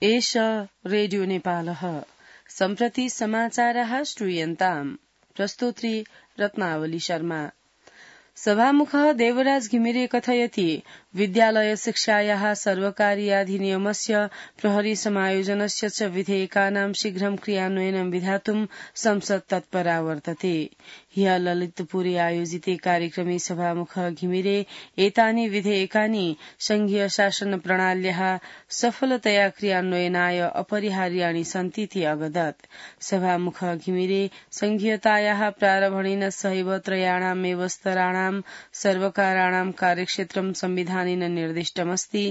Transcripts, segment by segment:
एष रेडियो नेपालः सम्प्रति समाचारः श्रूयन्ताम् प्रस्तोत्री रत्नावली शर्मा। सभामुखः देवराज घिमिरे कथयति विद्यालय शिक्षायाः सर्वकारीयाधिनियमस्य प्रहरी समायोजनस्य च विधेयकानां शीघ्रं क्रियान्वयनं विधातुं संसद तत्परा वर्तते। ह्यः ललितपुरे आयोजिते कार्यक्रमे सभामुखः घिमिरे एतानि विधेयकानि संघीय शासन प्रणाल्याः सफलतया क्रियान्वयनाय अपरिहार्याणि सन्तीति अवदत्। सभामुखः घिमिरे संघीयतायाः प्रारम्भणेन सहैव त्रयाणामेव स्तराणां सर्वकाराणां कार्यक्षेत्रं संविधानेन निर्दिष्टमस्ति।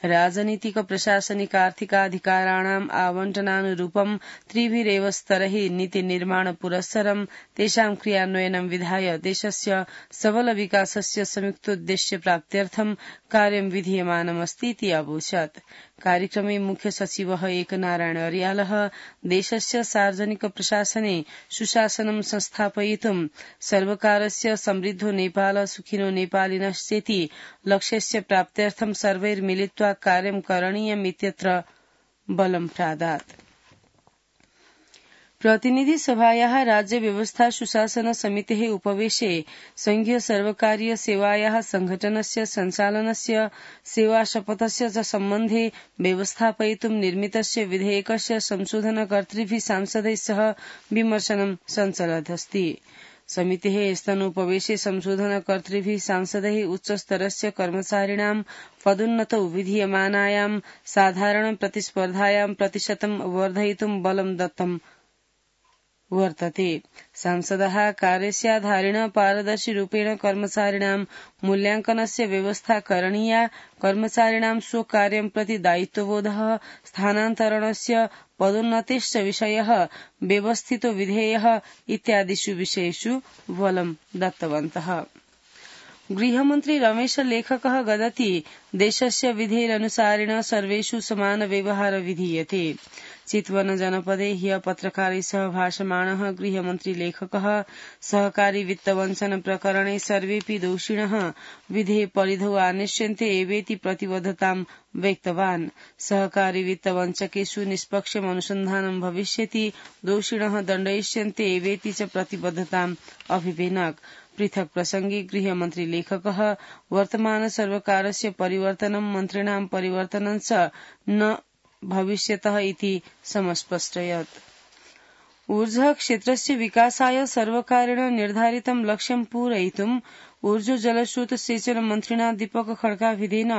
राजनीतिक प्रशासनिक आर्थिकाधिकाराणाम् आवण्टनानुरूपं त्रिभिरेव स्तरैः नीतिनिर्माण पुरस्सरं तेषां क्रियान्वयनं विधाय देशस्य सबल विकासस्य संयुक्तोद्देश्य प्राप्त्यर्थं कार्यं विधीयमानमस्तीति अवोचत्। कार्यक्रमे मुख्य सचिवः एकनारायण अर्यालः देशस्य सार्वजनिक प्रशासने सुशासनं संस्थापयितुं सर्वकारस्य समृद्धो नेपाल सुखिनो नेपालिनश्चेति लक्ष्यस्य प्राप्त्यर्थं सर्वैर्मिलित्वा कार्यं करणीयमित्यत्र बलं प्रादात्। प्रतिनिधि सभायाः राज्य व्यवस्था सुशासन समितेः उपवेशे संघीय सर्वकारीय सेवायाः संघटनस्य सञ्चालनस्य सेवा शपथस्य च सम्बन्धे व्यवस्थापयितुं निर्मितस्य विधेयकस्य संशोधनकर्तृभिः सांसदैः सह विमर्शनं सञ्चलदस्ति। समितेः स्तनोपवेशे संशोधनकर्तृभिः सांसदैः उच्चस्तरस्य कर्मचारिणां पदोन्नतौ विधीयमानायां साधारण प्रतिस्पर्धायां प्रतिशतं वर्धयितुं बलं दत्तं वर्तते। सांसदः कार्यस्याधारेण पारदर्शिरूपेण कर्मचारिणां मूल्याङ्कनस्य व्यवस्था करणीया, कर्मचारिणां स्वकार्यं प्रति दायित्वबोधः, स्थानान्तरणस्य पदोन्नतेश्च विषयः व्यवस्थितो विधेयः इत्यादिषु विषयेषु बलं दत्तवन्तः। गृहमन्त्री रमेश लेखकः वदति देशस्य विधेरनुसारेण सर्वेषु समान व्यवहार विधीयते। चितवन जनपदे ह्यः पत्रकारैः सह भाषमाणः गृहमन्त्री लेखकः सहकारी वित्तवञ्चन प्रकरणे सर्वेऽपि दोषिणः विधेः परिधौ आनेष्यन्ते एवेति प्रतिबद्धतां व्यक्तवान्। सहकारी वित्तवञ्चकेषु निष्पक्षम् अनुसन्धानं भविष्यति, दोषिणः दण्डयिष्यन्ते एवेति च प्रतिबद्धताम् अभिवेनक। पृथक् प्रसंगे गृहमन्त्री लेखकः वर्तमान सर्वकारस्य परिवर्तनं मन्त्रिणां परिवर्तनं च न भविष्यतः इति समस्पष्टयत्। ऊर्जा क्षेत्रस्य विकासाय सर्वकारेण निर्धारितं लक्ष्यं पूरयितुं ऊर्जा जलस्रोत सेचन मन्त्रिणा दीपक खड्काभिधेन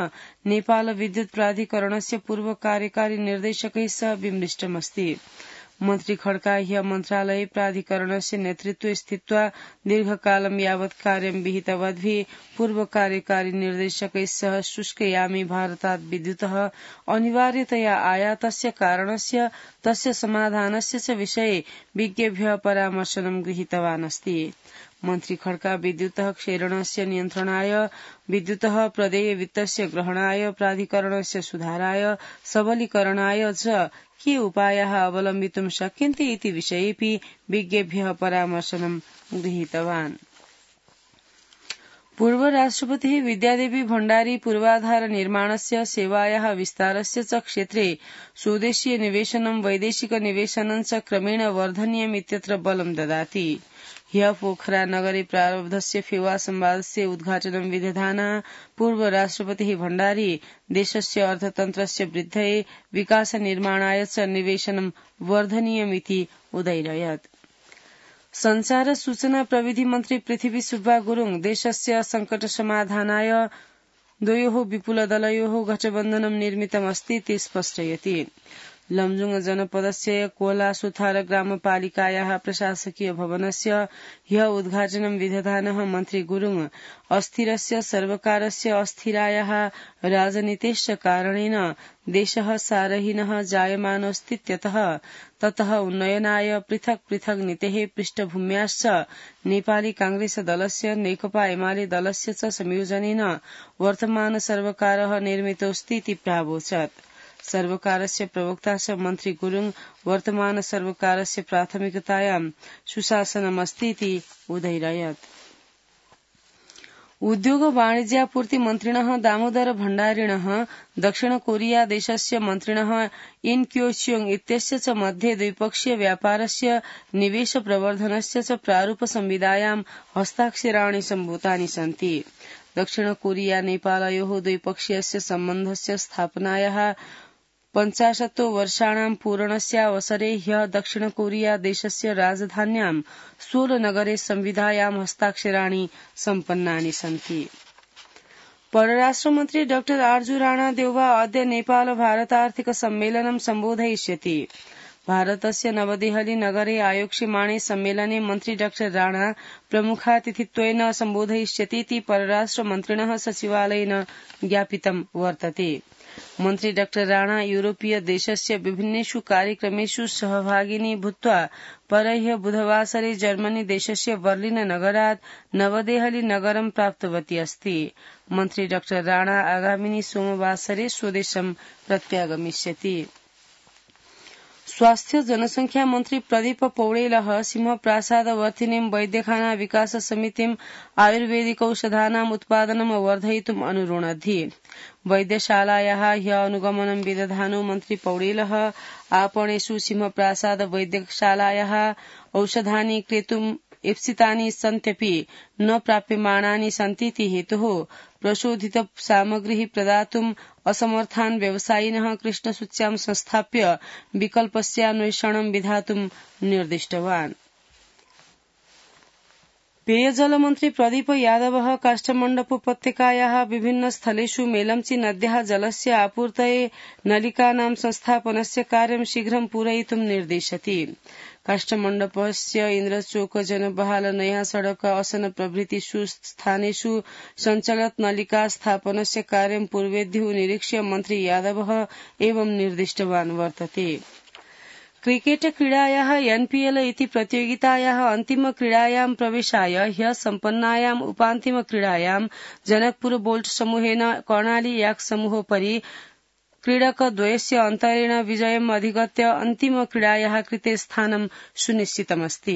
नेपाल विद्युत प्राधिकरणस्य पूर्व कार्यकारी निर्देशकैः सह विमृष्टमस्ति। मन्त्री खड्का ह्यः मन्त्रालये प्राधिकरणस्य नेतृत्वे स्थित्वा दीर्घकालं यावत् कार्यं विहितवद्भिः पूर्व कार्यकारी निर्देशकैः सह शुष्कयामे भारतात् विद्युतः अनिवार्यतया आयातस्य कारणस्य तस्य समाधानस्य च विषये विज्ञेभ्यः परामर्शनं गृहीतवान् अस्ति। मन्त्री खड्का विद्युतः क्षरणस्य नियन्त्रणाय, विद्युतः प्रदेय वित्तस्य ग्रहणाय, प्राधिकरणस्य सुधाराय, सबलीकरणाय च के उपायाः अवलम्बितुं शक्यन्ते इति विषयेऽपि विज्ञेभ्यः परामर्शनं गृहीतवान्। पूर्व राष्ट्रपतिः विद्यादेवी भण्डारी पूर्वाधार निर्माणस्य सेवायाः विस्तारस्य च क्षेत्रे स्वदेशीय निवेशनं वैदेशिक निवेशनं च क्रमेण वर्धनीयमित्यत्र बलं ददाति। ह्यः पोखरा नगरे प्रारब्धस्य फेवा संवादस्य उद्घाटनं विदधाना पूर्व राष्ट्रपतिः भण्डारी देशस्य अर्थतन्त्रस्य वृद्धये विकास निर्माणाय च निवेशनं वर्धनीयमिति उदैरयत्। संचार सूचना प्रविधि मन्त्री पृथ्वी सुब्बा गुरुङ देशस्य संकट समाधानाय द्वयोः विपुलदलयोः गठबन्धनं निर्मितमस्ति इति स्पष्टयति। लमजुङ जनपदस्य कोलासुथार ग्रामपालिकायाः प्रशासकीय भवनस्य ह्यः उद्घाटनं विदधानः मन्त्री गुरुङ अस्थिरस्य सर्वकारस्य अस्थिरायाः राजनीतेश्च कारणेन देशः सारहीनः जायमानोऽस्तीत्यतः ततः उन्नयनाय पृथक् पृथक् नीतेः पृष्ठभूम्याश्च नेपाली कांग्रेस दलस्य नेकपा एमाले दलस्य च संयोजनेन वर्तमान सर्वकारः निर्मितोऽस्तीति प्रावोचत्। सर्वकारस्य प्रवक्ता च मन्त्री गुरुङ वर्तमान सर्वकारस्य प्राथमिकतायां सुशासनमस्तीति उदैरयत्। उद्योग वाणिज्यापूर्ति मन्त्रिणः दामोदर भण्डारिणः दक्षिण कोरिया देशस्य मन्त्रिणः इन क्योच्योङ इत्यस्य च मध्ये द्विपक्षीय व्यापारस्य निवेश प्रवर्धनस्य च प्रारूप संविदायां हस्ताक्षराणि सम्भूतानि सन्ति। दक्षिण कोरिया नेपालयोः द्विपक्षीयस्य सम्बन्धस्य स्थापनायाः 50 वर्षाणां पूरणस्यावसरे ह्यः दक्षिण कोरिया देशस्य राजधान्यां सोल नगरे संविधायां हस्ताक्षराणि सम्पन्नानि सन्ति। परराष्ट्रमन्त्री डॉ आर्जू राणा देउवा अद्य नेपाल भारतार्थिक सम्मेलनं सम्बोधयिष्यति। भारतस्य नवदेहली नगरे आयोक्ष्यमाणे सम्मेलने मन्त्री डॉ राणा प्रमुखातिथित्वेन सम्बोधयिष्यति इति परराष्ट्रमन्त्रिणः सचिवालयेन ज्ञापितं वर्तते। मन्त्री डॉ राणा यूरोपीय देशस्य विभिन्नेषु कार्यक्रमेषु सहभागिनी भूत्वा परह्य बुधवासरे जर्मनी देशस्य बर्लिन नगरात् नवदेहली नगरं प्राप्तवती अस्ति। मन्त्री डॉ राणा आगामिनि सोमवासरे स्वदेशं प्रत्यागमिष्यति। स्वास्थ्य जनसंख्या मन्त्री प्रदीप पौडेलः सिंहप्रासादवर्तिनीं वैद्यखाना विकास समितिं आयुर्वेदिकौषधानाम् उत्पादनं वर्धयितुम् अनुरोणद्धि। वैद्यशालायाः ह्यः अनुगमनं विदधानो मन्त्री पौडेलः आपणेषु सिंहप्रासाद वैद्यशालायाः औषधानि क्रेतुम् ईप्सितानि सन्त्यपि न प्राप्यमाणानि सन्तीति हेतुः प्रशोधित सामग्रीः प्रदातुम् असमर्थान् व्यवसायिनः कृष्णसूच्यां संस्थाप्य विकल्पस्यान्वेषणं विधातुम् निर्दिष्टवान्। पेयजलमन्त्री प्रदीप यादवः काष्ठमण्डपोपत्यकायाः विभिन्न स्थलेषु मेलम्ची नद्याः जलस्य आपूर्तये नलिकानां संस्थापनस्य कार्यं शीघ्रं पूरयितुं निर्दिशति। काष्ठमण्डपस्य इन्द्रचोक जनबहाल नया सड़क असन प्रभृतिषु स्थानेषु सञ्चलत् नलिका स्थापनस्य कार्यं पूर्वेद्युः निरीक्ष्य मन्त्री यादवः एवं निर्दिष्टवान् वर्तते। क्रिकेट क्रीडायाः एनपीएल इति प्रतियोगितायाः अन्तिम क्रीडायां प्रवेशाय ह्यः सम्पन्नायाम् उपान्तिम क्रीडायां जनकपुर बोल्ट समूहेन कर्णाली याक् समूहोपरि क्रीडकद्वयस्य अन्तरेण विजयम् अधिगत्य अन्तिम क्रीडायाः कृते स्थानं सुनिश्चितमस्ति।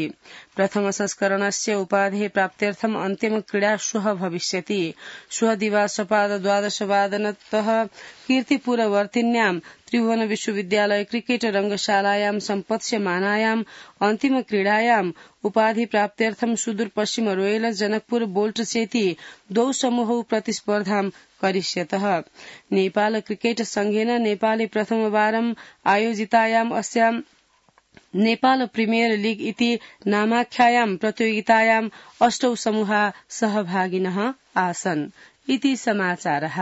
प्रथम संस्करणस्य उपाधेः प्राप्त्यर्थम् अन्तिम क्रीडा श्वः भविष्यति। श्वः दिवासपाद 12:00 कीर्तिपुरवर्तिन्यां त्रिभुवन विश्वविद्यालय क्रिकेट रंगशालायां सम्पत्स्यमानायाम् अन्तिम क्रीडायाम् उपाधि प्राप्त्यर्थं सुदूर पश्चिम रोयल जनकपुर बोल्ट चेति द्वौ समूहौ प्रतिस्पर्धां करिष्यतः। नेपाल क्रिकेट संघेन नेपाले प्रथमवारम् आयोजितायाम् अस्यां नेपाल प्रीमियर लीग इति नामाख्यायां प्रतियोगितायाम् 8 समूहाः सहभागिनः आसन्। इति समाचारः।